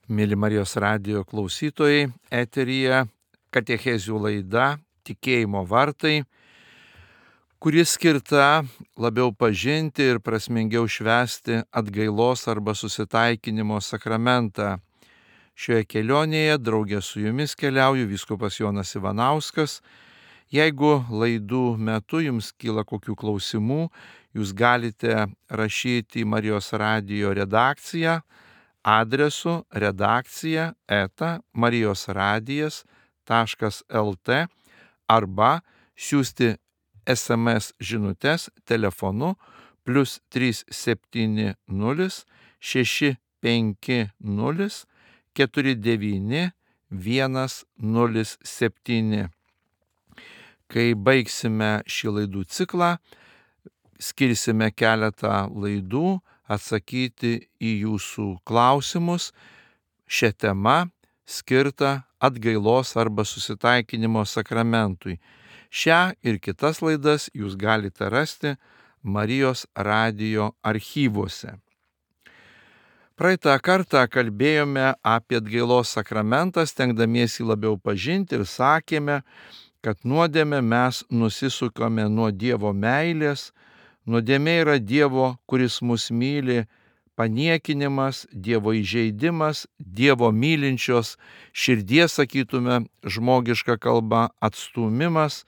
Mėly Marijos radijo klausytojai, eteryje katechezių laida Tikėjimo vartai, kuri skirta labiau pažinti ir prasmingiau švęsti atgailos arba susitaikinimo sakramentą. Šioje kelionėje draugė su jumis keliauju vyskupas Jonas Ivanauskas. Jeigu laidų metu jums kyla kokių klausimų, jūs galite rašyti į Marijos radijo redakciją adresu redakcija@marijosradijas.lt arba siųsti SMS žinutes telefonu +370 650 49 107. Kai baigsime šį laidų ciklą, skirsime keletą laidų atsakyti į jūsų klausimus šią temą skirtą atgailos arba susitaikinimo sakramentui. Šią ir kitas laidas jūs galite rasti Marijos radijo archyvuose. Praeitą kartą kalbėjome apie atgailos sakramentą, stengdamiesi labiau pažinti ir sakėme, kad nuodėmę mes nusisukame nuo Dievo meilės. Nuodėmė yra Dievo, kuris mus myli, paniekinimas, Dievo įžeidimas, Dievo mylinčios širdies, sakytume, žmogiška kalba, atstūmimas.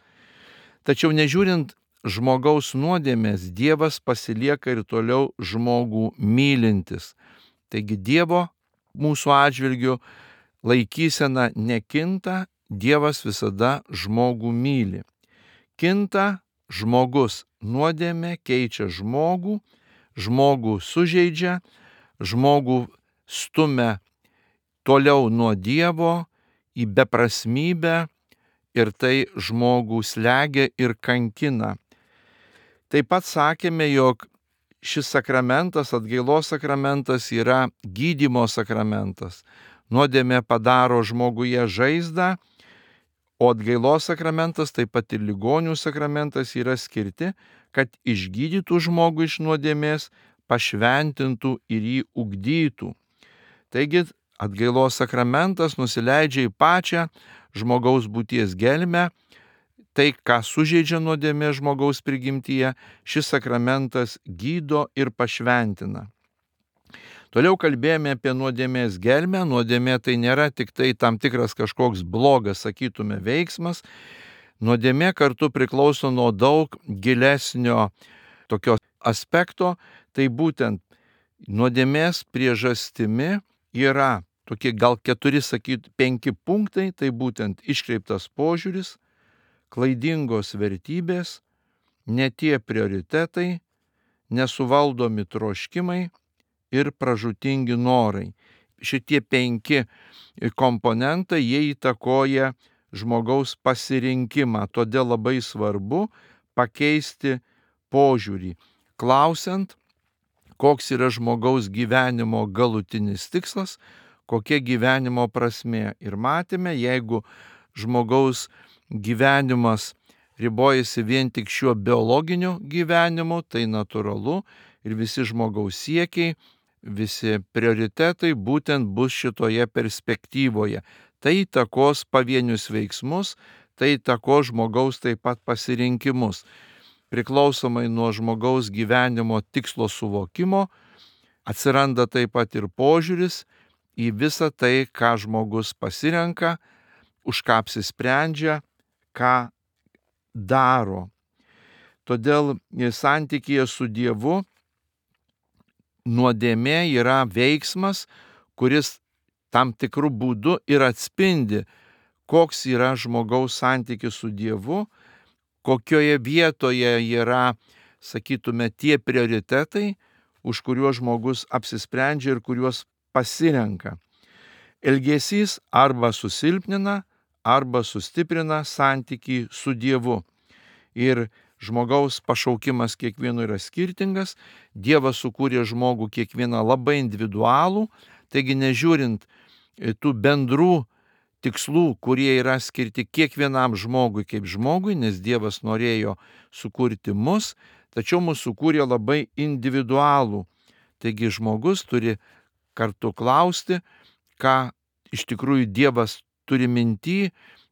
Tačiau nežiūrint žmogaus nuodėmės, Dievas pasilieka ir toliau žmogų mylintis. Taigi Dievo mūsų atžvilgiu laikysena nekinta, Dievas visada žmogų myli. Kinta žmogus. Nuodėmė keičia žmogų, žmogų sužeidžia, žmogų stumia toliau nuo Dievo į beprasmybę ir tai žmogų slegia ir kankina. Taip pat sakėme, jog šis sakramentas, atgailos sakramentas, yra gydymo sakramentas. Nuodėmė padaro žmoguje žaizdą, o atgailos sakramentas, taip pat ir ligonių sakramentas yra skirti, kad išgydytų žmogų iš nuodėmės, pašventintų ir jį ugdytų. Taigi atgailos sakramentas nusileidžia į pačią žmogaus būties gelmę, tai, ką sužeidžia nuodėmė žmogaus prigimtyje, šis sakramentas gydo ir pašventina. Toliau kalbėjome apie nuodėmės gelmę. Nuodėmė tai nėra tik tai tam tikras kažkoks blogas, sakytume, veiksmas. Nuodėmė kartu priklauso nuo daug gilesnio tokio aspekto. Tai būtent nuodėmės priežastimi yra tokie gal 4-5 punktai. Tai būtent iškreiptas požiūris, klaidingos vertybės, ne tie prioritetai, nesuvaldomi troškimai ir pražūtingi norai. Šitie 5 komponentai, jie įtakoja žmogaus pasirinkimą. Todėl labai svarbu pakeisti požiūrį, klausiant, koks yra žmogaus gyvenimo galutinis tikslas, kokia gyvenimo prasmė. Ir matėme, jeigu žmogaus gyvenimas ribojasi vien tik šiuo biologiniu gyvenimu, tai natūralu ir visi žmogaus siekiai, visi prioritetai būtent bus šitoje perspektyvoje. Tai įtakos pavienius veiksmus, tai įtakos žmogaus taip pat pasirinkimus. Priklausomai nuo žmogaus gyvenimo tikslo suvokimo atsiranda taip pat ir požiūris į visą tai, ką žmogus pasirenka, už ką apsisprendžia, ką daro. Todėl santykyje su Dievu nuodėmė yra veiksmas, kuris tam tikrų būdų ir atspindi, koks yra žmogaus santykis su Dievu, kokioje vietoje yra, sakytume, tie prioritetai, už kuriuos žmogus apsisprendžia ir kuriuos pasirenka. Elgesys arba susilpnina, arba sustiprina santykį su Dievu. Ir žmogaus pašaukimas kiekvieno yra skirtingas. Dievas sukūrė žmogų kiekvieną labai individualų, taigi nežiūrint tų bendrų tikslų, kurie yra skirti kiekvienam žmogui kaip žmogui, nes Dievas norėjo sukurti mus, tačiau mus sukūrė labai individualų. Taigi žmogus turi kartu klausti, ką iš tikrųjų Dievas turi minty,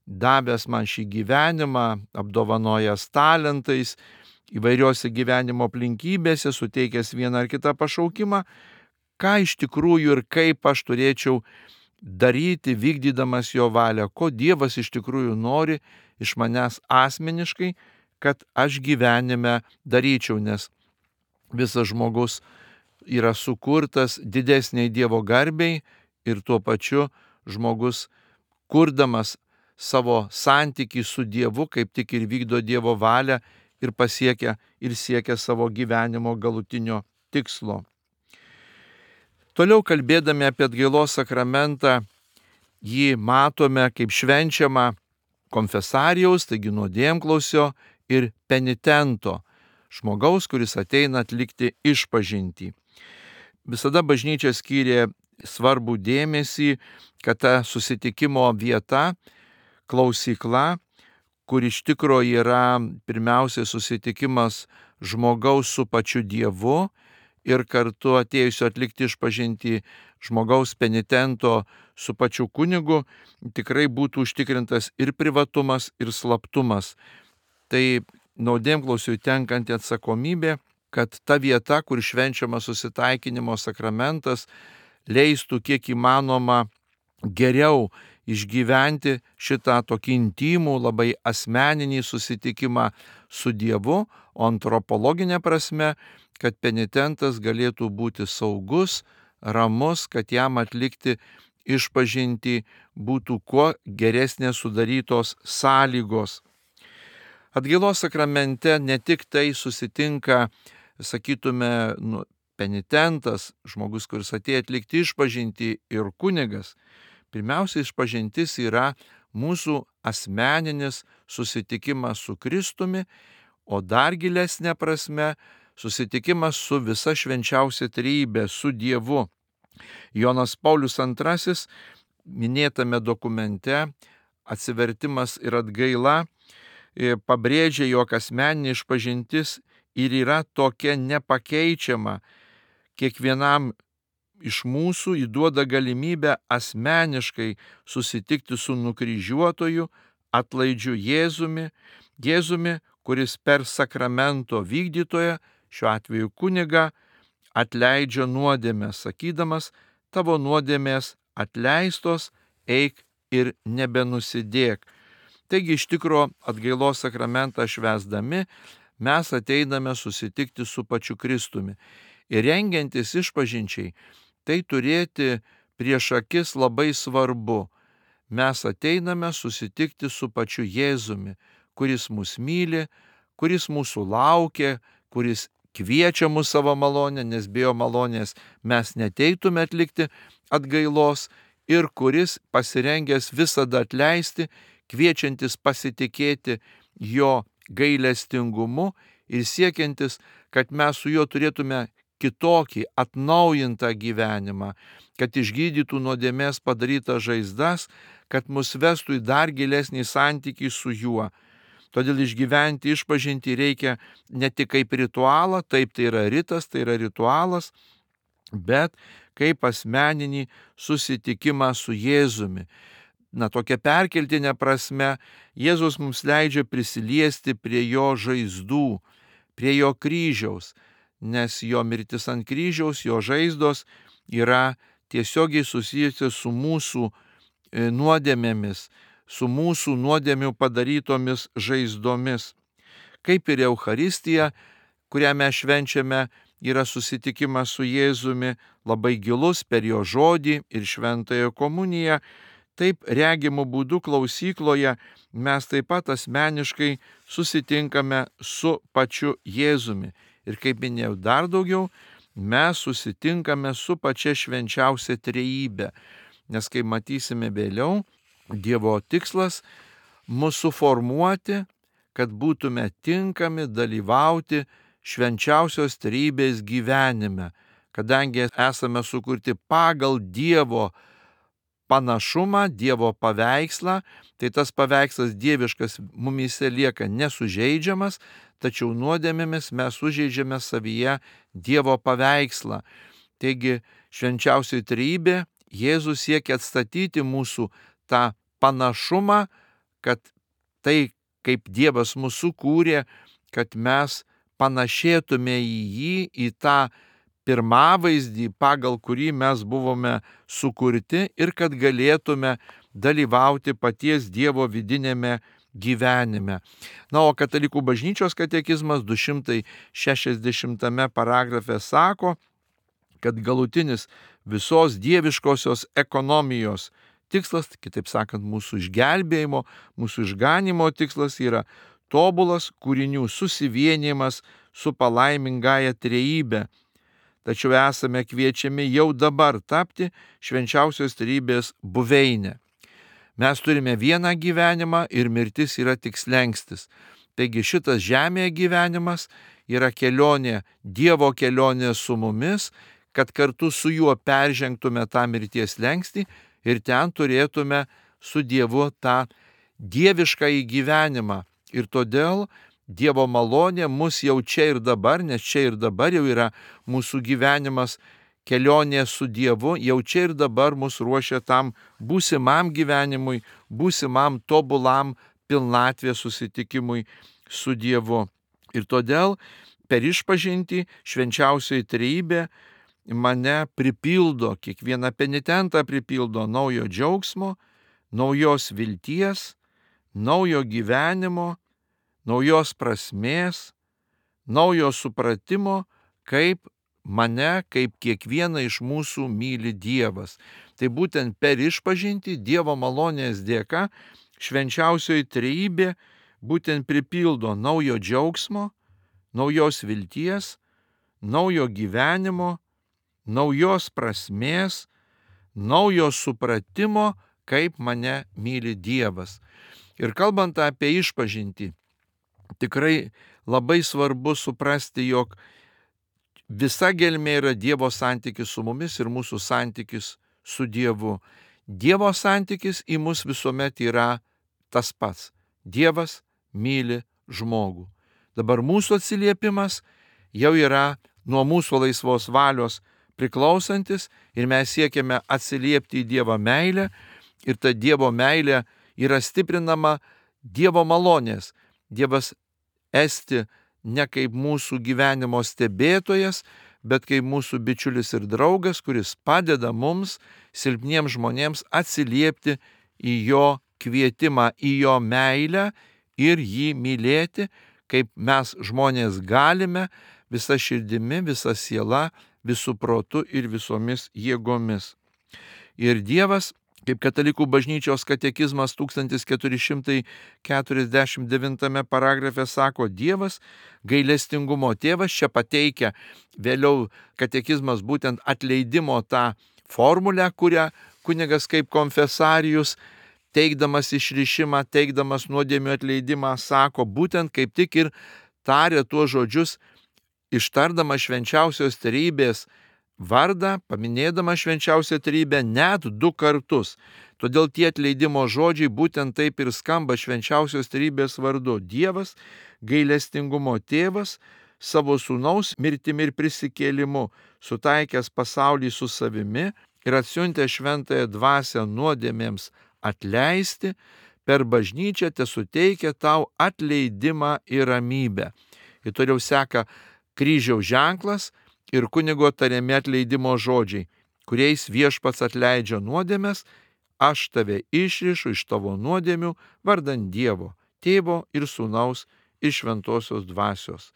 davęs man šį gyvenimą, apdovanojęs talentais, įvairiose gyvenimo aplinkybėse, suteikęs vieną ar kitą pašaukimą, ką iš tikrųjų ir kaip aš turėčiau daryti, vykdydamas jo valią, ko Dievas iš tikrųjų nori iš manęs asmeniškai, kad aš gyvenime daryčiau, nes visas žmogus yra sukurtas didesniai Dievo garbei ir tuo pačiu žmogus, kurdamas savo santykį su Dievu, kaip tik ir vykdo Dievo valią ir pasiekia ir siekia savo gyvenimo galutinio tikslo. Toliau kalbėdami apie atgailos sakramentą, jį matome kaip švenčiamą konfesarijaus, taigi nuodėmklausio ir penitento, žmogaus, kuris ateina atlikti išpažintį. Visada bažnyčia skyrė svarbų dėmesį, kad ta susitikimo vieta, klausykla, kur iš tikro yra pirmiausiai susitikimas žmogaus su pačiu Dievu ir kartu atėjusio atlikti išpažintį žmogaus penitento su pačiu kunigu, tikrai būtų užtikrintas ir privatumas, ir slaptumas. Tai nuodėmklausiui tenkanti atsakomybė, kad ta vieta, kur švenčiamas susitaikinimo sakramentas, leistų kiek įmanoma geriau išgyventi šitą tokį intimų, labai asmeninį susitikimą su Dievu, o antropologinė prasme, kad penitentas galėtų būti saugus, ramus, kad jam atlikti išpažintį būtų kuo geresnės sudarytos sąlygos. Atgailos sakramente ne tik tai susitinka, sakytume, penitentas, žmogus, kuris atėjo atlikti išpažintį, ir kunigas. Pirmiausia, išpažintis yra mūsų asmeninis susitikimas su Kristumi, o dar gilesnė prasme susitikimas su visa švenčiausia trejybe, su Dievu. Jonas Paulius II minėtame dokumente Atsivertimas ir atgaila pabrėžia, jog asmeninė išpažintis ir yra tokia nepakeičiama. Kiekvienam iš mūsų įduoda galimybę asmeniškai susitikti su nukryžiuotoju, atlaidžiu Jėzumi, kuris per sakramento vykdytoją, šiuo atveju kunigą, atleidžia nuodėmės, sakydamas, tavo nuodėmės atleistos, eik ir nebenusidėk. Taigi iš tikro atgailos sakramentą švęsdami mes ateiname susitikti su pačiu Kristumi. Ir rengiantis išpažinčiai, tai turėti prieš akis labai svarbu. Mes ateiname susitikti su pačiu Jėzumi, kuris mus myli, kuris mūsų laukia, kuris kviečia mus savo malonę, nes be jo malonės mes neteitume atlikti atgailos, ir kuris pasirengęs visada atleisti, kviečiantis pasitikėti jo gailestingumu ir siekiantis, kad mes su juo turėtume kitokį atnaujintą gyvenimą, kad išgydytų nuodėmės padarytas žaizdas, kad mus vestų į dar gilesnį santykį su juo. Todėl išgyventi išpažintį reikia ne tik kaip ritualą, taip tai yra ritas, tai yra ritualas, bet kaip asmeninį susitikimą su Jėzumi. Tokia perkeltinė prasme, Jėzus mums leidžia prisiliesti prie jo žaizdų, prie jo kryžiaus, nes jo mirtis ant kryžiaus, jo žaizdos yra tiesiogiai susijusi su mūsų nuodėmėmis, su mūsų nuodėmių padarytomis žaizdomis. Kaip ir Eucharistija, kurią mes švenčiame, yra susitikimas su Jėzumi labai gilus per jo žodį ir šventąją komuniją, taip regimų būdų klausykloje mes taip pat asmeniškai susitinkame su pačiu Jėzumi. Ir kaip minėjau, dar daugiau, mes susitinkame su pačia švenčiausia trejybe. Nes kaip matysime vėliau, Dievo tikslas mūsų suformuoti, kad būtume tinkami dalyvauti švenčiausios trejybės gyvenime, kadangi esame sukurti pagal Dievo panašumą, Dievo paveikslą, tai tas paveikslas dieviškas mumyse lieka nesužeidžiamas, tačiau nuodėmėmis mes sužeidžiame savyje Dievo paveikslą. Taigi švenčiausioji trejybė, Jėzus siekia atstatyti mūsų tą panašumą, kad tai, kaip Dievas mūsų sukūrė, kad mes panašėtume į jį, į tą pirmavaizdį, pagal kurį mes buvome sukurti ir kad galėtume dalyvauti paties Dievo vidinėme gyvenime. Na, o Katalikų bažnyčios katekizmas 260 paragrafe sako, kad galutinis visos dieviškosios ekonomijos tikslas, kitaip sakant, mūsų išgelbėjimo, mūsų išganimo tikslas yra tobulas kūrinių susivienijimas su palaimingąja trejybe. Tačiau esame kviečiami jau dabar tapti švenčiausios trejybės buveinę. Mes turime vieną gyvenimą ir mirtis yra tik slenkstis. Taigi šitas žemėje gyvenimas yra kelionė, Dievo kelionė su mumis, kad kartu su juo peržengtume tą mirties slenkstį ir ten turėtume su Dievu tą dieviškąjį gyvenimą. Ir todėl Dievo malonė mus jau čia ir dabar, nes čia ir dabar jau yra mūsų gyvenimas, kelionė su Dievu, jau čia ir dabar mus ruošia tam būsimam gyvenimui, būsimam tobulam pilnatvės susitikimui su Dievu. Ir todėl per išpažintį švenčiausioji trejybė mane pripildo, kiekvieną penitentą pripildo naujo džiaugsmo, naujos vilties, naujo gyvenimo, naujos prasmės, naujo supratimo, kaip mane, kaip kiekvieną iš mūsų myli Dievas. Tai būtent per išpažintį Dievo malonės dėka švenčiausioji trejybė būtent pripildo naujo džiaugsmo, naujos vilties, naujo gyvenimo, naujos prasmės, naujo supratimo, kaip mane myli Dievas. Ir kalbant apie išpažintį, tikrai labai svarbu suprasti, jog visa gelmė yra Dievo santykis su mumis ir mūsų santykis su Dievu. Dievo santykis į mus visuomet yra tas pats. Dievas myli žmogų. Dabar mūsų atsiliepimas jau yra nuo mūsų laisvos valios priklausantis ir mes siekiame atsiliepti į Dievo meilę ir ta Dievo meilė yra stiprinama Dievo malonės. Dievas esti ne kaip mūsų gyvenimo stebėtojas, bet kaip mūsų bičiulis ir draugas, kuris padeda mums, silpniems žmonėms, atsiliepti į jo kvietimą, į jo meilę ir jį mylėti, kaip mes žmonės galime visa širdimi, visa siela, visų protu ir visomis jėgomis. Ir Dievas, kaip Katalikų bažnyčios katekizmas 1449 paragrafe sako, Dievas gailestingumo tėvas, čia pateikia vėliau katekizmas būtent atleidimo tą formulę, kurią kunigas kaip konfesarijus, teikdamas išrišimą, teikdamas nuodėmių atleidimą, sako, būtent kaip tik ir tarė tuos žodžius, ištardama švenčiausios trejybės vardą, paminėdama švenčiausią trejybę net 2 kartus. Todėl tie atleidimo žodžiai būtent taip ir skamba švenčiausios trejybės vardu. Dievas, gailestingumo tėvas, savo sūnaus mirtimi ir prisikėlimu, sutaikęs pasaulį su savimi ir atsiuntė šventąją dvasią nuodėmėms atleisti, per bažnyčią tesuteikia tau atleidimą ir ramybę. Ir toliau seka kryžiaus ženklas ir kunigo tariami atleidimo žodžiai, kuriais viešpats atleidžia nuodėmes, aš tave išrišu iš tavo nuodėmių vardan Dievo, Tėvo ir Sūnaus ir Šventosios dvasios.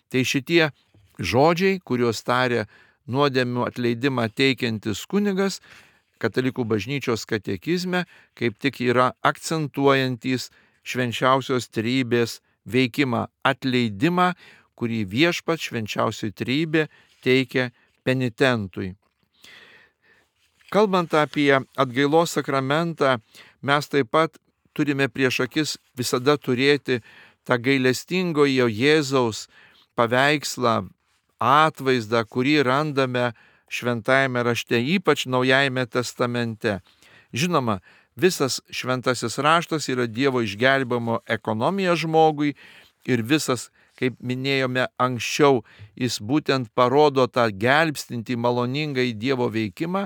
Tai šitie žodžiai, kuriuos tarė nuodėmių atleidimą teikiantis kunigas, Katalikų bažnyčios katekizme, kaip tik yra akcentuojantis švenčiausios trejybės veikimą, atleidimą, kurį viešpats švenčiausioji trejybė teikia penitentui. Kalbant apie atgailos sakramentą, mes taip pat turime prieš akis visada turėti tą gailestingojo Jėzaus paveikslą, atvaizdą, kurį randame šventajame rašte, ypač Naujajame testamente. Žinoma, visas šventasis raštas yra Dievo išgelbėjimo ekonomija žmogui ir visas kaip minėjome anksčiau, jis būtent parodo tą gelbstintį maloningą į Dievo veikimą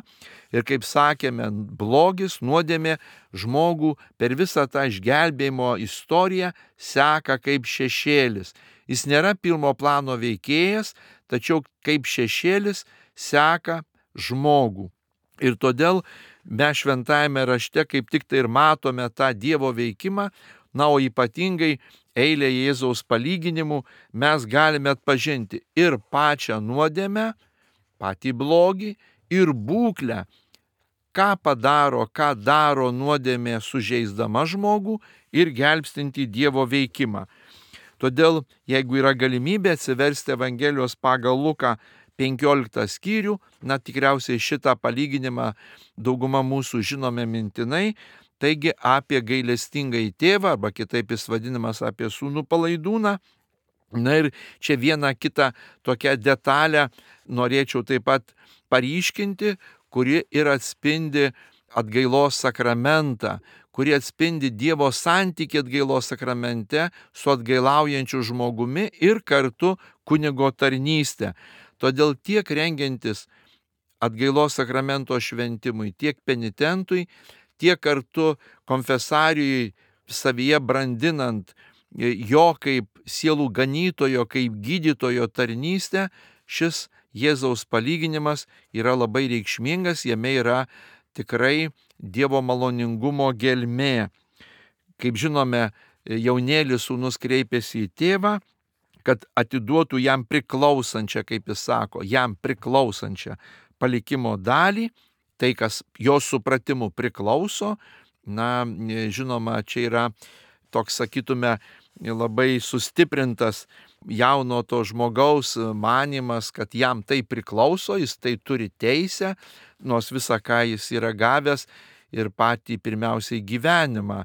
ir, kaip sakėme, blogis, nuodėmė žmogų per visą tą išgelbėjimo istoriją seka kaip šešėlis. Jis nėra pirmo plano veikėjas, tačiau kaip šešėlis seka žmogų. Ir todėl mes šventajame rašte kaip tik tai ir matome tą Dievo veikimą, o ypatingai eilė Jėzaus palyginimų mes galime atpažinti ir pačią nuodėmę, patį blogį, ir būklę, ką daro nuodėmė sužeisdama žmogų ir gelbstinti Dievo veikimą. Todėl, jeigu yra galimybė atsiversti Evangelijos pagal Luką 15 skyrių, tikriausiai šitą palyginimą dauguma mūsų žinome mintinai, taigi apie gailestingąjį tėvą, arba kitaip jis vadinamas apie sūnų palaidūną. Ir čia vieną kitą tokią detalę norėčiau taip pat paryškinti, kuri ir atspindi atgailos sakramentą, kuri atspindi Dievo santykį atgailos sakramente su atgailaujančiu žmogumi ir kartu kunigo tarnystę. Todėl tiek rengiantis atgailos sakramento šventimui, tiek penitentui, tiek kartu konfesarijui savyje brandinant jo kaip sielų ganytojo, kaip gydytojo tarnystę, šis Jėzaus palyginimas yra labai reikšmingas, jame yra tikrai Dievo maloningumo gelmė. Kaip žinome, jaunėlis sūnus kreipėsi į tėvą, kad atiduotų jam priklausančią, kaip jis sako, jam priklausančią palikimo dalį, tai kas jo supratimu priklauso. Žinoma, čia yra toks, sakytume, labai sustiprintas jauno to žmogaus manimas, kad jam tai priklauso, jis tai turi teisę, nors visą, ką jis yra gavęs ir patį pirmiausiai gyvenimą,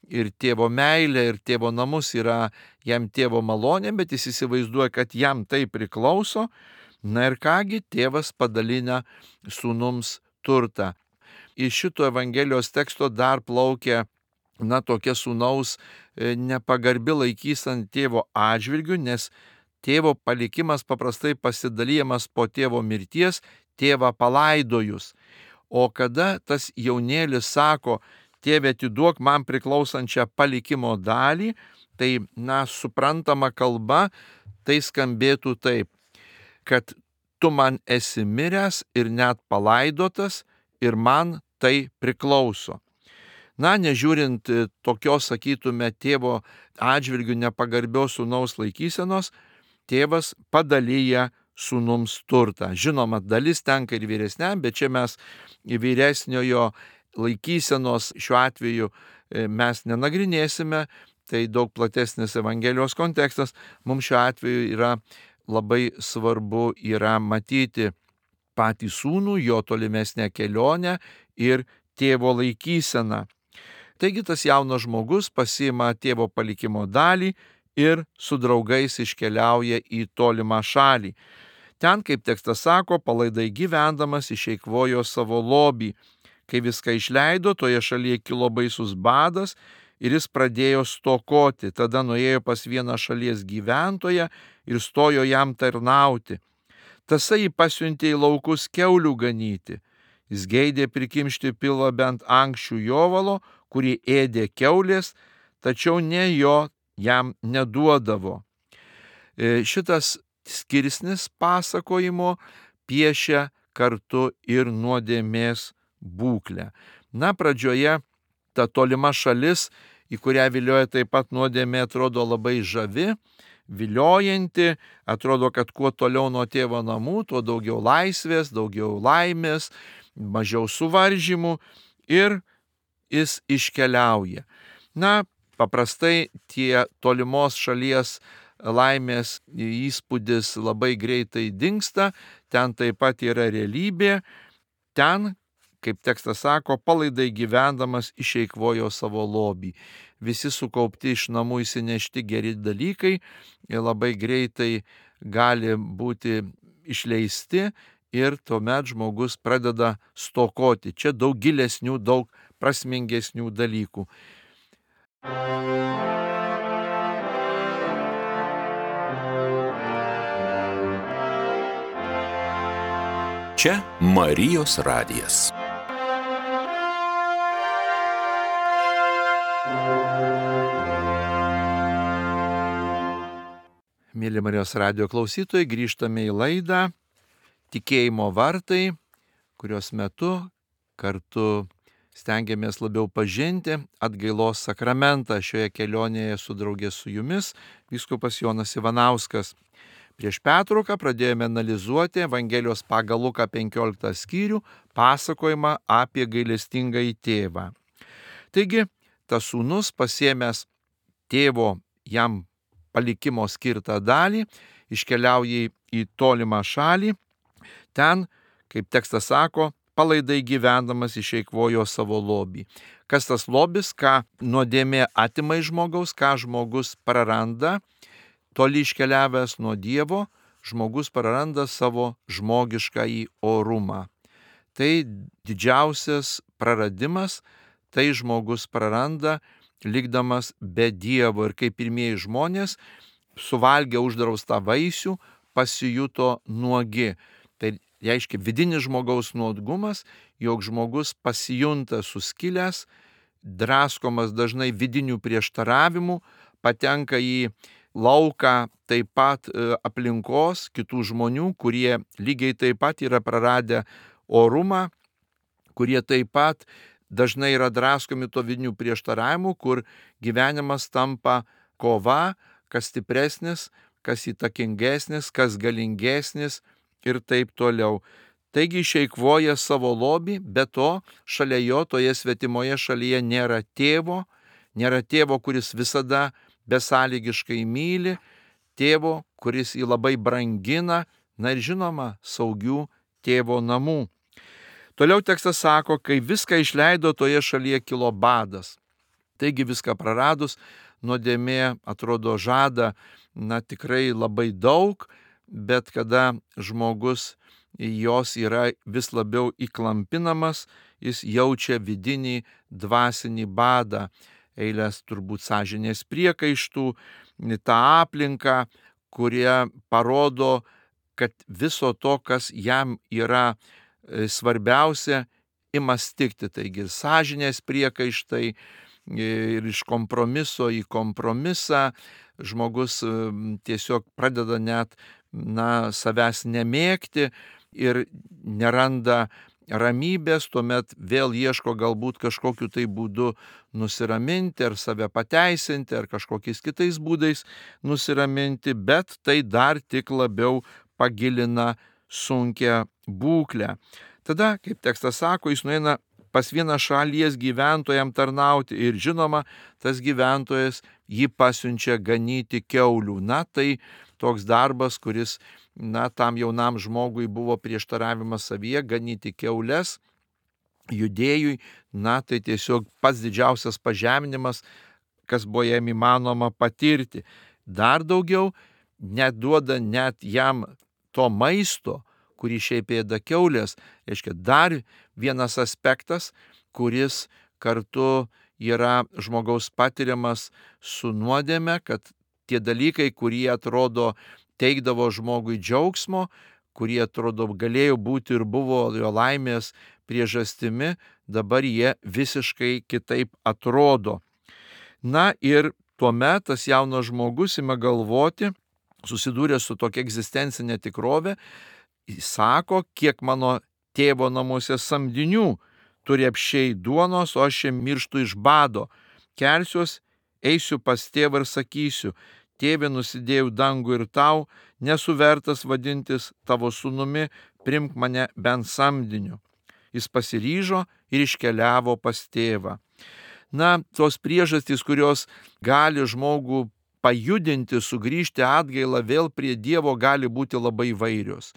ir tėvo meilę, ir tėvo namus yra jam tėvo malonė, bet jis įsivaizduoja, kad jam tai priklauso. Ir kągi, tėvas padalina sūnums turtą. Iš šito Evangelijos teksto dar plaukia tokia sūnaus nepagarbi laikysena tėvo atžvilgiu, nes tėvo palikimas paprastai pasidalyjamas po tėvo mirties, tėvą palaidojus. O kada tas jaunėlis sako, tėve, atiduok man priklausančią palikimo dalį, tai, suprantama kalba, tai skambėtų taip, kad tu man esi miręs ir net palaidotas ir man tai priklauso. Nežiūrint tokios, sakytume, tėvo atžvilgių nepagarbios sūnaus laikysenos, tėvas padalyja sūnums turtą. Žinoma, dalis tenka ir vyresniam, bet čia mes vyresniojo laikysenos šiuo atveju mes nenagrinėsime, tai daug platesnis Evangelijos kontekstas. Mums šiuo atveju yra labai svarbu matyti patį sūnų, jo tolimesnę kelionę ir tėvo laikyseną. Taigi tas jaunas žmogus pasiima tėvo palikimo dalį ir su draugais iškeliauja į tolimą šalį. Ten, kaip tekstas sako, palaidai gyvendamas išeikvojo savo lobį. Kai viską išleido, toje šalyje kilo baisus badas ir jis pradėjo stokoti. Tada nuėjo pas vieną šalies gyventoją ir stojo jam tarnauti. Tasai jį pasiuntė į laukus kiaulių ganyti. Jis geidė prikimšti pilvą bent ankščių jovalo, kurį ėdė kiaulės, tačiau ne jo jam neduodavo. Šitas skirsnis pasakojimo piešia kartu ir nuodėmės būklę. Pradžioje ta tolima šalis, į kurią vilioja taip pat nuodėmė, atrodo labai žavi, viliojanti, atrodo, kad kuo toliau nuo tėvo namų, tuo daugiau laisvės, daugiau laimės, mažiau suvaržymų ir jis iškeliauja. Paprastai tie tolimos šalies laimės įspūdis labai greitai dingsta, ten taip pat yra realybė, ten, kaip tekstas sako, palaidai gyvendamas išeikvojo savo lobį. Visi sukaupti iš namų įsinešti geri dalykai labai greitai gali būti išleisti ir tuomet žmogus pradeda stokoti. Čia daug gilesnių, daug prasmingesnių dalykų. Čia Marijos radijas. Mėly Marijos radijo klausytojai, grįžtame į laidą Tikėjimo vartai, kurios metu kartu stengiamės labiau pažinti atgailos sakramentą. Šioje kelionėje su draugė su jumis vyskupas Jonas Ivanauskas. Prieš pertrauką pradėjome analizuoti Evangelijos pagal Luką 15 skyrių pasakojimą apie gailestingąjį tėvą. Taigi, tas sūnus pasiėmęs tėvo jam palikimo skirtą dalį, iškeliauja į tolimą šalį. Ten, kaip tekstas sako, palaidai gyvendamas išeikvojo savo lobį. Kas tas lobis, ką nuodėmė atima iš žmogaus, ką žmogus praranda, toli iškeliavęs nuo Dievo, žmogus praranda savo žmogiškąjį orumą. Tai didžiausias praradimas, tai žmogus praranda likdamas be Dievo. Ir kaip pirmieji žmonės, suvalgę uždraustą vaisių, pasijuto nuogi. Tai reiškia vidinis žmogaus nuodgumas, jog žmogus pasijunta suskilęs, draskomas dažnai vidinių prieštaravimų, patenka į lauką taip pat aplinkos, kitų žmonių, kurie lygiai taip pat yra praradę orumą, kurie taip pat dažnai yra draskomi to vidinių prieštaravimų, kur gyvenimas tampa kova, kas stipresnis, kas įtakingesnis, kas galingesnis ir taip toliau. Taigi išeikvoja savo lobį, be to šalia jo toje svetimoje šalyje nėra tėvo, kuris visada besąlygiškai myli, tėvo, kuris jį labai brangina, na ir žinoma, saugių tėvo namų. Toliau tekstas sako, kai viską išleido, toje šalyje kilo badas. Taigi viską praradus, nuodėmė atrodo žada, tikrai labai daug, bet kada žmogus jos yra vis labiau įklampinamas, jis jaučia vidinį dvasinį badą, eilės turbūt sąžinės priekaištų, tą aplinką, kurie parodo, kad viso to, kas jam yra svarbiausia, ima stigti. Taigi sąžinės priekaištai ir iš kompromiso į kompromisą žmogus tiesiog pradeda net savęs nemėgti ir neranda ramybės, tuomet vėl ieško galbūt kažkokiu tai būdu nusiraminti ar save pateisinti ar kažkokiais kitais būdais nusiraminti, bet tai dar tik labiau pagilina sunkią būklę. Tada, kaip tekstas sako, jis nueina pas vieną šalies gyventojam tarnauti ir žinoma, tas gyventojas jį pasiunčia ganyti kiaulių. Tai toks darbas, kuris tam jaunam žmogui buvo prieštaravimas savyje, ganyti kiaules judėjui, tai tiesiog pats didžiausias pažeminimas, kas buvo jam įmanoma patirti. Dar daugiau, neduoda net jam to maisto, kurį šiaip ėda kiaulės, reiškia dar vienas aspektas, kuris kartu yra žmogaus patiriamas su nuodėme, kad tie dalykai, kurie atrodo teikdavo žmogui džiaugsmo, kurie atrodo galėjo būti ir buvo jo laimės priežastimi, dabar jie visiškai kitaip atrodo. Ir tuomet tas jaunas žmogus ima galvoti, susidūrė su tokia egzistencinė tikrovė, jis sako, kiek mano tėvo namuose samdinių turi apsčiai duonos, o aš čia mirštu iš bado. Kelsiuos, eisiu pas tėvą ir sakysiu, tėve, nusidėjau dangų ir tau, nesu vertas vadintis tavo sūnumi, primk mane bent samdiniu. Jis pasiryžo ir iškeliavo pas tėvą. Tos priežastys, kurios gali žmogų pajudinti, sugrįžti atgailą vėl prie Dievo, gali būti labai įvairios.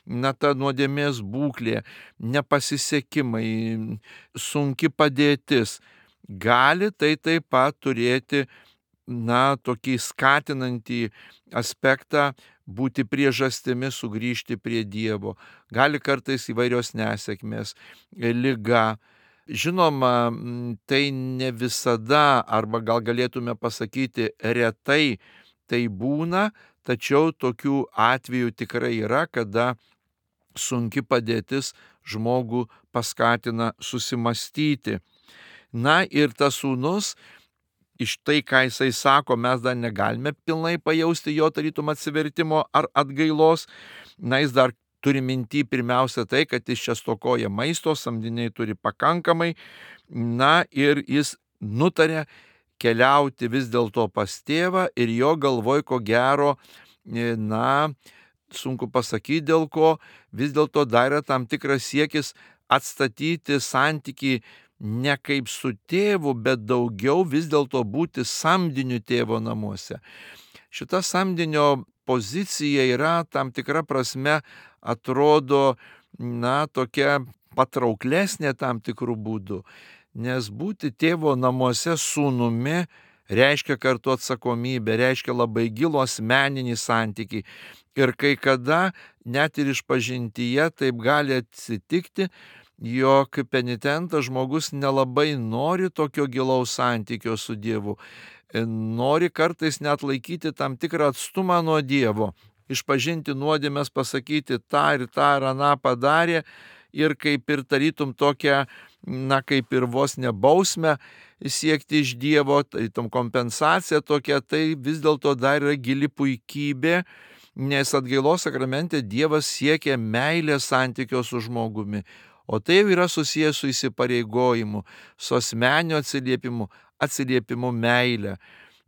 Ta nuodėmės būklė, nepasisekimai, sunki padėtis, gali tai taip pat turėti tokį skatinantį aspektą, būti priežastimi sugrįžti prie Dievo. Gali kartais įvairios nesėkmės, liga. Žinoma, tai ne visada, arba gal galėtume pasakyti retai tai būna, tačiau tokių atvejų tikrai yra, kada sunki padėtis žmogų paskatina susimastyti. Na ir tas sūnus, iš tai, ką jisai sako, mes dar negalime pilnai pajausti jo tarytum atsivertimo ar atgailos. Na, jis dar turi minty pirmiausia tai, kad jis čia stokoja maisto, samdiniai turi pakankamai. Na ir jis nutarė keliauti vis dėlto pas tėvą ir jo galvoj ko gero, na, sunku pasakyti dėl ko, vis dėlto dar yra tam tikras siekis atstatyti santykį ne kaip su tėvu, bet daugiau vis dėlto būti samdiniu tėvo namuose. Šita samdinio pozicija yra tam tikra prasme atrodo, na, tokia patrauklesnė tam tikrų būdų, nes būti tėvo namuose sūnumi reiškia kartu atsakomybę, reiškia labai gilų asmeninį santykį. Ir kai kada net ir išpažintyje taip gali atsitikti, jog penitentas žmogus nelabai nori tokio gilaus santykio su Dievu, nori kartais net laikyti tam tikrą atstumą nuo Dievo, išpažinti nuodėmes, pasakyti tą ir aną padarė ir kaip ir tarytum tokią, na, kaip ir vos nebausmę siekti iš Dievo, tarytum kompensacija tokia, tai vis dėlto dar yra gili puikybė, nes atgailos sakramente Dievas siekia meilės santykio su žmogumi, o tai jau yra susijęs su įsipareigojimu, su asmeniniu atsiliepimu meilę.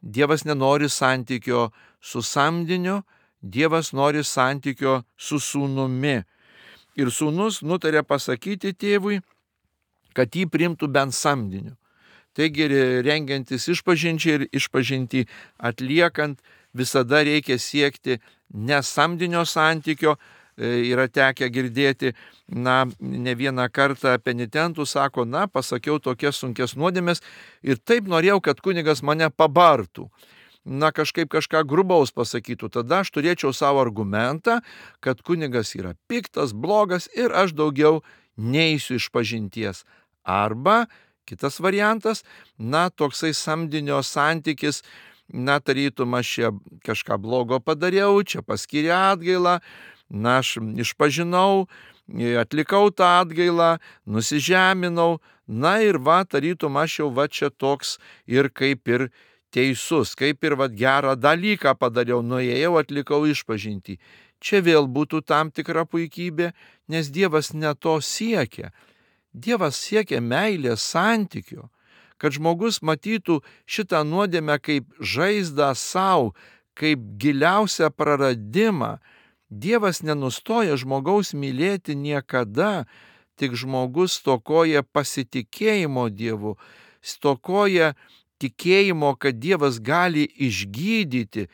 Dievas nenori santykio su samdiniu, Dievas nori santykio su sūnumi. Ir sūnus nutarė pasakyti tėvui, kad jį priimtų bent samdiniu. Taigi rengiantis išpažinčiai ir išpažinti atliekant, visada reikia siekti ne samdinio santykio. Yra tekę girdėti, na, ne vieną kartą penitentų sako, na, pasakiau tokias sunkias nuodėmes ir taip norėjau, kad kunigas mane pabartų. Na, kažką grubaus pasakytų, tada aš turėčiau savo argumentą, kad kunigas yra piktas, blogas ir aš daugiau neisiu išpažinties. Arba kitas variantas, na, toksai samdinio santykis, na, tarytum aš čia kažką blogo padariau, čia paskyrė atgailą, na, aš išpažinau, atlikau tą atgailą, nusižeminau, na ir va, tarytum aš jau va čia toks ir kaip ir teisus, kaip ir va gerą dalyką padariau, nuėjau, atlikau išpažintį. Čia vėl būtų tam tikra puikybė, nes Dievas ne to siekia. Dievas siekia meilės santykio, kad žmogus matytų šitą nuodėmę kaip žaizdą savo, kaip giliausią praradimą. Dievas nenustoja žmogaus mylėti niekada, tik žmogus stokoja pasitikėjimo Dievu, stokoja tikėjimo, kad Dievas gali išgydyti.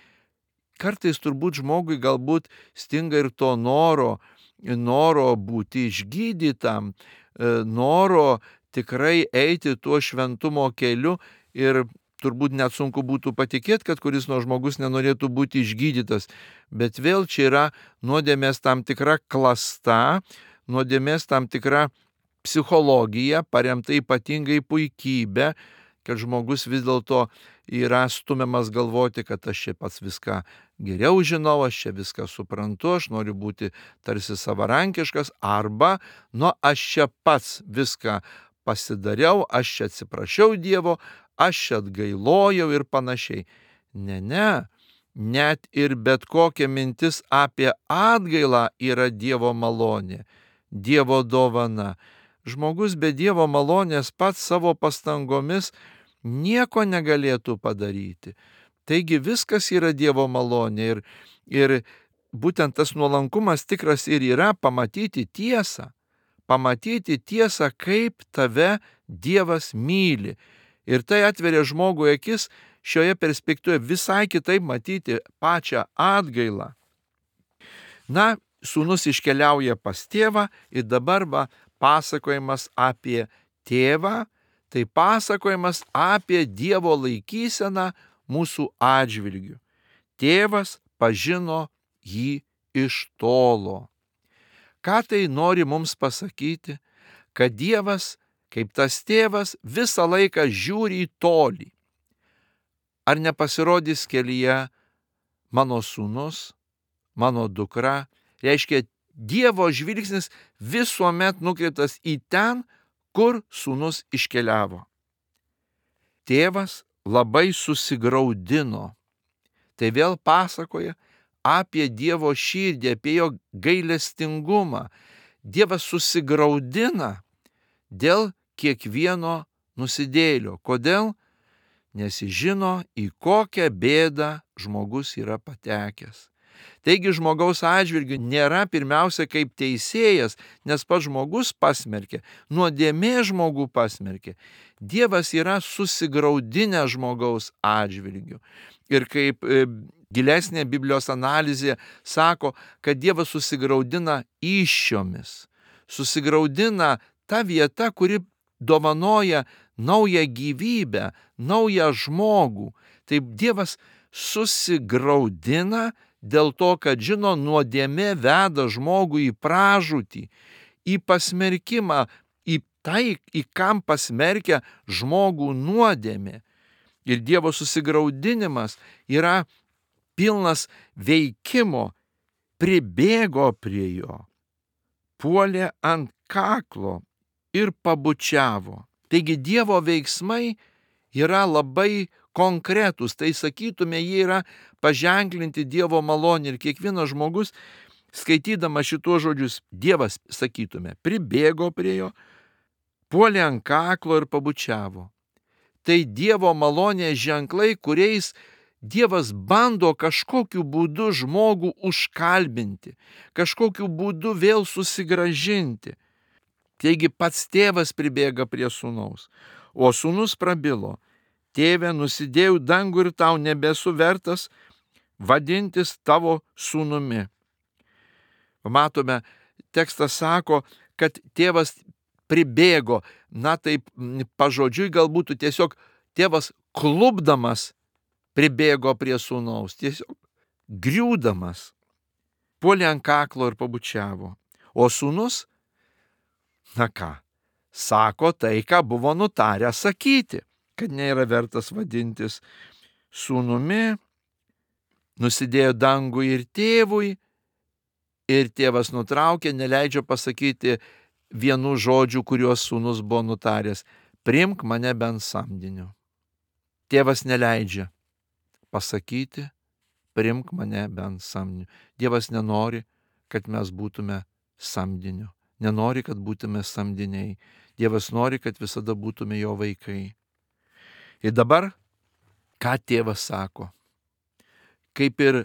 Kartais turbūt žmogui galbūt stinga ir to noro būti išgydytam, noro tikrai eiti tuo šventumo keliu ir turbūt net sunku būtų patikėti, kad kuris nors žmogus nenorėtų būti išgydytas. Bet vėl čia yra nuodėmės tam tikra klasta, nuodėmės tam tikra psichologija, paremta ypatingai puikybė, kad žmogus vis dėlto yra stumiamas galvoti, kad aš čia pats viską geriau žinau, aš čia viską suprantu, aš noriu būti tarsi savarankiškas, arba, nu, aš čia pats viską pasidariau, aš čia atsiprašiau Dievo, aš čia atgailojau ir panašiai. Ne, net ir bet kokia mintis apie atgailą yra Dievo malonė, Dievo dovana. Žmogus be Dievo malonės pats savo pastangomis nieko negalėtų padaryti. Taigi viskas yra Dievo malonė ir būtent tas nuolankumas tikras ir yra pamatyti tiesą, kaip tave Dievas myli. Ir tai atveria žmogui akis šioje perspektyvoje visai kitaip matyti pačią atgailą. Na, sūnus iškeliauja pas tėvą ir dabar va pasakojimas apie tėvą, tai pasakojimas apie Dievo laikyseną mūsų atžvilgiu. Tėvas pažino jį iš tolo. Ką tai nori mums pasakyti? Kad Dievas, kaip tas tėvas, visą laiką žiūri į tolį. Ar nepasirodys kelyje mano sūnus, mano dukra? Reiškia, Dievo žvilgsnis visuomet nukreiptas į ten, kur sūnus iškeliavo. Tėvas labai susigraudino. Tai vėl pasakoja apie Dievo širdį, apie jo gailestingumą. Dievas susigraudina dėl kiekvieno nusidėjėlio. Kodėl? Nes jis žino, į kokią bėdą žmogus yra patekęs. Taigi žmogaus atžvilgiu nėra pirmiausia kaip teisėjas, nes pats žmogus pasmerkė, nuodėmė žmogų pasmerkė. Dievas yra susigraudinę žmogaus atžvilgiu. Ir kaip gilesnė Biblijos analizė sako, kad Dievas susigraudina įsčiomis. Susigraudina ta vieta, kuri dovanoja naują gyvybę, naują žmogų. Taip Dievas susigraudina dėl to, kad žino, nuodėmė veda žmogų į pražūtį, į pasmerkimą, į tai, į kam pasmerkia žmogų nuodėmė. Ir Dievo susigraudinimas yra pilnas veikimo, pribėgo prie jo, puolė ant kaklo ir pabučiavo. Taigi Dievo veiksmai yra labai konkretūs, tai sakytume, jie yra paženklinti Dievo malonė. Ir kiekvienas žmogus, skaitydamas šituos žodžius, Dievas, sakytume, pribėgo prie jo, puolė ant kaklo ir pabučiavo. Tai Dievo malonės ženklai, kuriais Dievas bando kažkokiu būdu žmogų užkalbinti, kažkokiu būdu vėl susigrąžinti. Taigi pats tėvas pribėga prie sūnaus, o sūnus prabilo: Tėve, nusidėjau dangų ir tau nebesu vertas vadintis tavo sūnumi. Matome, tekstas sako, kad tėvas pribėgo, na taip pažodžiui galbūt tiesiog tėvas klupdamas pribėgo prie sūnaus, tiesiog griūdamas, puolė ant kaklo ir pabučiavo. O sūnus, na ką, sako tai, ką buvo nutarę sakyti, kad nėra vertas vadintis sūnumi, nusidėjo dangui ir tėvui, ir tėvas nutraukė, neleidžia pasakyti vienų žodžių, kuriuos sūnus buvo nutaręs: priimk mane bent samdiniu. Tėvas neleidžia pasakyti: priimk mane bent samdiniu. Dievas nenori, kad mes būtume samdiniu. Nenori, kad būtume samdiniai. Dievas nori, kad visada būtume jo vaikai. Ir dabar, ką tėvas sako? Kaip ir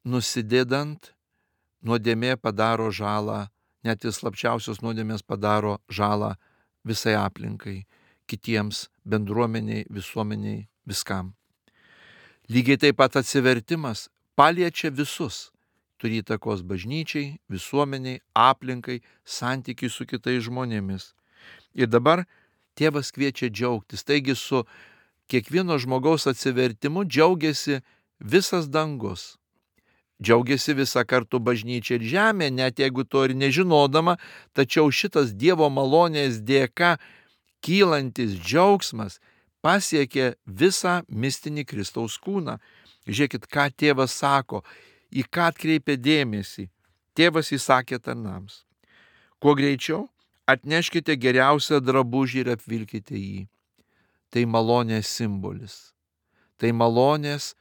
nusidėdant, nuodėmė padaro žalą, net ir slapčiausios nuodėmės padaro žalą visai aplinkai, kitiems, bendruomeniai, visuomeniai, viskam. Lygiai taip pat atsivertimas paliečia visus. Turi įtakos bažnyčiai, visuomeniai, aplinkai, santykiai su kitais žmonėmis. Ir dabar tėvas kviečia džiaugtis. Taigi su kiekvieno žmogaus atsivertimu džiaugiasi visas dangus. Džiaugiasi visa kartu bažnyčia ir žemė, net jeigu to ir nežinodama, tačiau šitas Dievo malonės dėka kylantis džiaugsmas pasiekė visą mistinį Kristaus kūną. Žiūrėkit, ką tėvas sako, į ką atkreipia dėmesį. Tėvas įsakė tarnams: kuo greičiau atneškite geriausią drabužį ir apvilkite jį. Tai malonės simbolis. Tai malonės,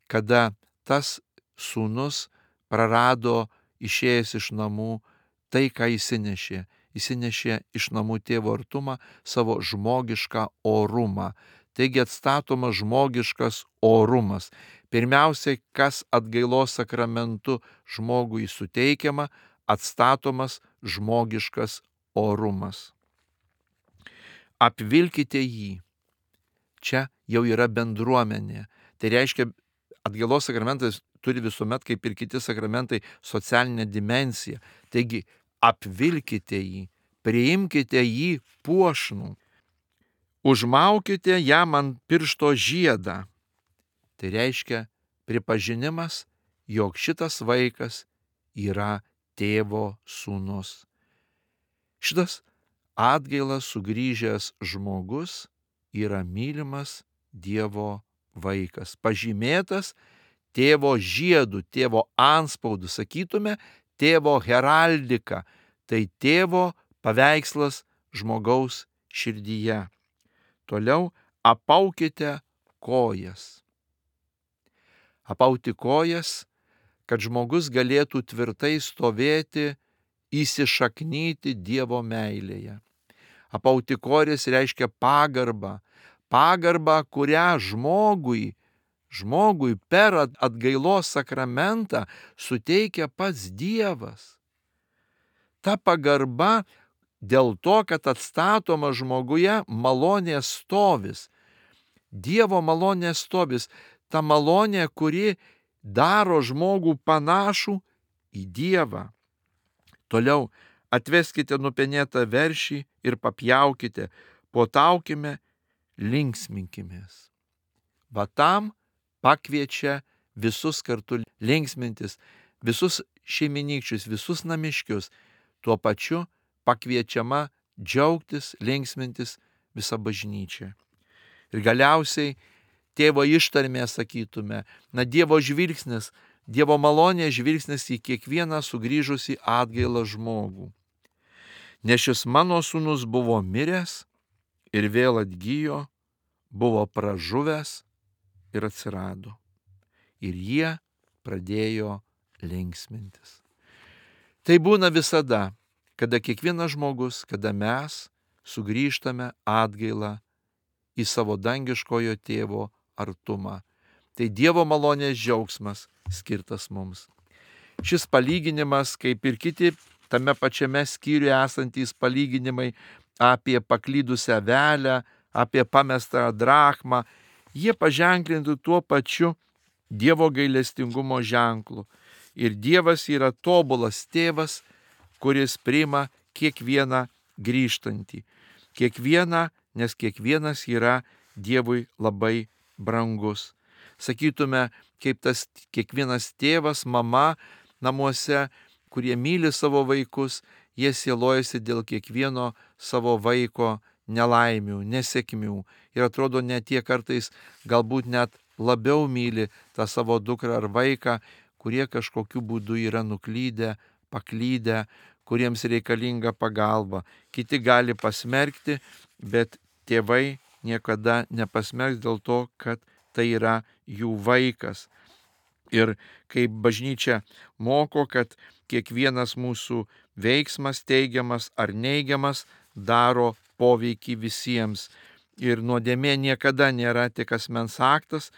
kada tas sūnus prarado išėjęs iš namų tai, ką įsinešė. Įsinešė iš namų tėvo artumą, savo žmogišką orumą. Taigi atstatomas žmogiškas orumas. Pirmiausiai, kas atgailos sakramentu žmogui suteikiama, atstatomas žmogiškas orumas. Apvilkite jį. Čia jau yra bendruomenė. Tai reiškia, atgailos sakramentas turi visuomet, kaip ir kiti sakramentai, socialinę dimensiją. Taigi, apvilkite jį, priimkite jį puošnų. Užmaukite jam ant piršto žiedą. Tai reiškia pripažinimas, jog šitas vaikas yra tėvo sūnus. Šitas atgailą sugrįžęs žmogus yra mylimas Dievo vaikas, pažymėtas tėvo žiedu, tėvo anspaudu, sakytume, tėvo heraldika, tai tėvo paveikslas žmogaus širdyje. Toliau apaukite kojas. Apauti kojas, kad žmogus galėtų tvirtai stovėti, įsišaknyti Dievo meilėje. Apauti kojas reiškia pagarbą, kurią žmogui per atgailos sakramentą suteikia pats Dievas. Ta pagarba dėl to, kad atstatoma žmoguje malonės stovis. Dievo malonės stovis, ta malonė, kuri daro žmogų panašų į Dievą. Toliau atveskite nupenėtą veršį ir papjaukite, puotaukime, linksminkimės. Va tam pakviečia visus kartu linksmintis, visus šeiminykščius, visus namiškius. Tuo pačiu pakviečiama džiaugtis, linksmintis visa bažnyčia. Ir galiausiai tėvo ištarmė sakytume, Dievo žvilgsnis, Dievo malonės žvilgsnis į kiekvieną sugrįžusį atgailą žmogų. Nes šis mano sūnus buvo miręs ir vėl atgijo, buvo pražuvęs ir atsirado. Ir jie pradėjo linksmintis. Tai būna visada, kada kiekvienas žmogus, kada mes sugrįžtame atgailą į savo dangiškojo tėvo artumą. Tai Dievo malonės džiaugsmas skirtas mums. Šis palyginimas, kaip ir kiti tame pačiame skyriuje esantys palyginimai apie paklydusią avelę, apie pamestą drachmą, jie paženklinti tuo pačiu Dievo gailestingumo ženklu. Ir Dievas yra tobulas tėvas, kuris priima kiekvieną grįžtantį. Kiekvieną, nes kiekvienas yra Dievui labai brangus. Sakytume, kaip tas kiekvienas tėvas, mama namuose, kurie myli savo vaikus, jie sielojasi dėl kiekvieno savo vaiko nelaimių, nesėkmių. Ir atrodo, net tie kartais galbūt net labiau myli tą savo dukrą ar vaiką, kurie kažkokiu būdu yra nuklydę, paklydę, kuriems reikalinga pagalba. Kiti gali pasmerkti, bet tėvai niekada nepasmerks dėl to, kad tai yra jų vaikas. Ir kaip bažnyčia moko, kad kiekvienas mūsų veiksmas, teigiamas ar neigiamas, daro poveikį visiems. Ir nuodėmė niekada nėra tik asmens aktas,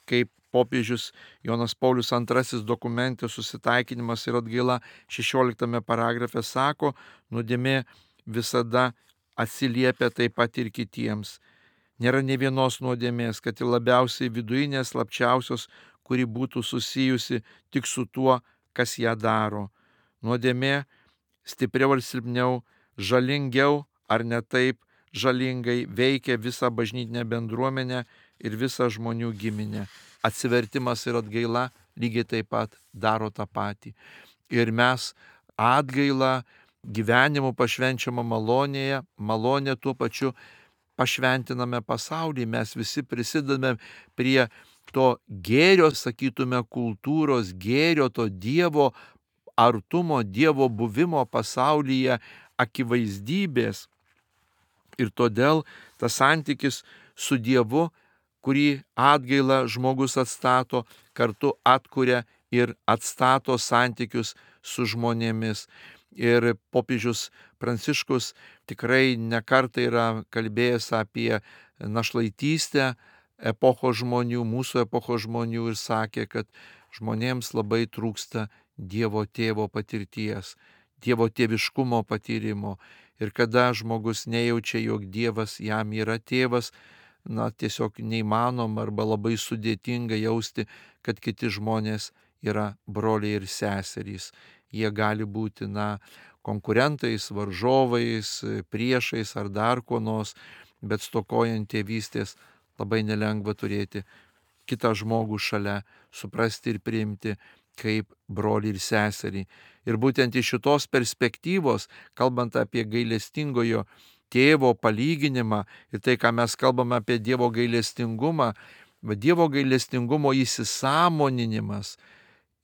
kaip popiežius Jonas Paulius II dokumente Susitaikinimas ir atgaila 16 paragrafe sako, nuodėmė visada atsiliepia taip pat ir kitiems. Nėra nė vienos nuodėmės, kad ir labiausiai vidujinės, slapčiausios, kuri būtų susijusi tik su tuo, kas ją daro. Nuodėmė stipriau ar silpniau, žalingiau ar ne taip žalingai veikia visą bažnytinę bendruomenę ir visą žmonių giminę. Atsivertimas ir atgaila lygiai taip pat daro tą patį. Ir mes atgailą gyvenimu pašvenčiamą malonė tuo pačiu pašventiname pasaulį. Mes visi prisidedame prie to gėrio, sakytume, kultūros, gėrio, to Dievo artumo, Dievo buvimo pasaulyje akivaizdybės. Ir todėl tas santykis su Dievu, kurį atgaila žmogus atstato, kartu atkuria ir atstato santykius su žmonėmis. Ir popiežius Pranciškus tikrai nekartą yra kalbėjęs apie našlaitystę epochos žmonių, mūsų epochos žmonių, ir sakė, kad žmonėms labai trūksta Dievo tėvo patirties, Dievo tėviškumo patyrimo. Ir kada žmogus nejaučia, jog Dievas jam yra tėvas, tiesiog neįmanoma arba labai sudėtinga jausti, kad kiti žmonės yra broliai ir seserys. Jie gali būti konkurentais, varžovais, priešais ar dar kuo nors, bet stokojant tėvystės labai nelengva turėti kitą žmogų šalia, suprasti ir priimti kaip brolį ir seserį. Ir būtent iš šitos perspektyvos, kalbant apie gailestingojo tėvo palyginimą ir tai, ką mes kalbame apie Dievo gailestingumą, Dievo gailestingumo įsisąmoninimas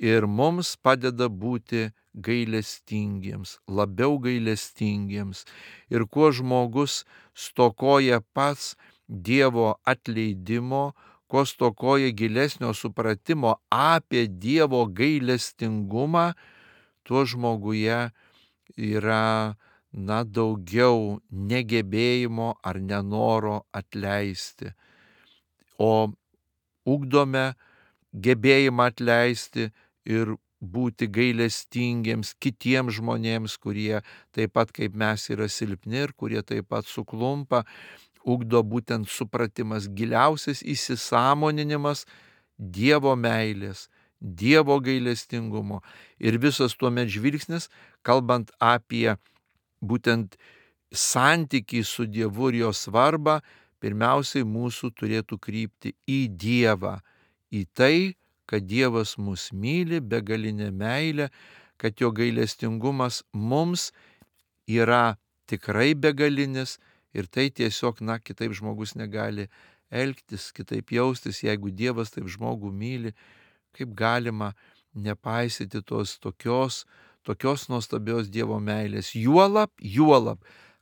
ir mums padeda būti gailestingiems, labiau gailestingiems. Ir kuo žmogus stokoja pats Dievo atleidimo, kuo stokoja gilesnio supratimo apie Dievo gailestingumą, tuo žmoguje yra daugiau negebėjimo ar nenoro atleisti. O ugdome gebėjimą atleisti ir būti gailestingiems kitiems žmonėms, kurie taip pat kaip mes yra silpni ir kurie taip pat suklumpa. Ugdo būtent supratimas, giliausias įsisąmoninimas Dievo meilės, Dievo gailestingumo. Ir visas tuomet žvilgsnis, kalbant apie būtent santykį su Dievu ir jo svarbą, pirmiausiai mūsų turėtų krypti į Dievą, į tai, kad Dievas mus myli begalinę meilę, kad jo gailestingumas mums yra tikrai begalinis ir tai tiesiog, kitaip žmogus negali elgtis, kitaip jaustis, jeigu Dievas taip žmogų myli, kaip galima nepaisyti tos tokios nuostabios Dievo meilės. Juolab,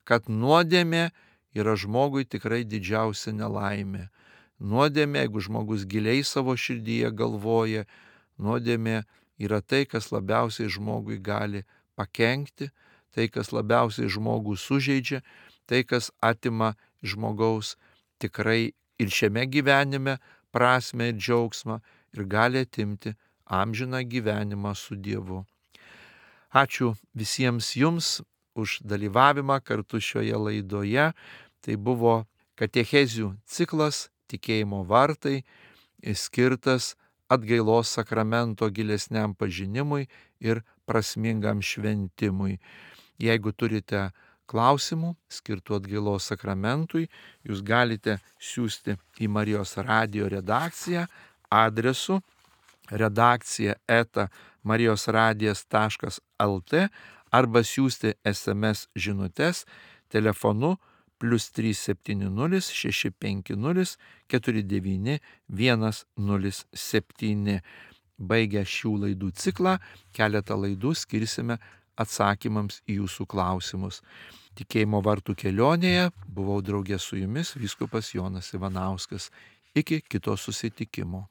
kad nuodėmė yra žmogui tikrai didžiausia nelaimė. Nuodėmė, jeigu žmogus giliai savo širdyje galvoja, nuodėmė yra tai, kas labiausiai žmogui gali pakenkti, tai, kas labiausiai žmogų sužeidžia, tai, kas atima žmogaus tikrai ir šiame gyvenime prasmę ir džiaugsmą ir gali atimti amžiną gyvenimą su Dievu. Ačiū visiems jums už dalyvavimą kartu šioje laidoje. Tai buvo katechezių ciklas Tikėjimo vartai, skirtas atgailos sakramento gilesniam pažinimui ir prasmingam šventimui. Jeigu turite klausimų skirtų atgailos sakramentui, jūs galite siųsti į Marijos radijo redakciją adresu redakcija@marijosradijas.lt arba siųsti SMS žinutes telefonu +370 650 49 107. Baigę šių laidų ciklą, keletą laidų skirsime atsakymams į jūsų klausimus. Tikėjimo vartų kelionėje buvau draugė su jumis vyskupas Jonas Ivanauskas. Iki kito susitikimo.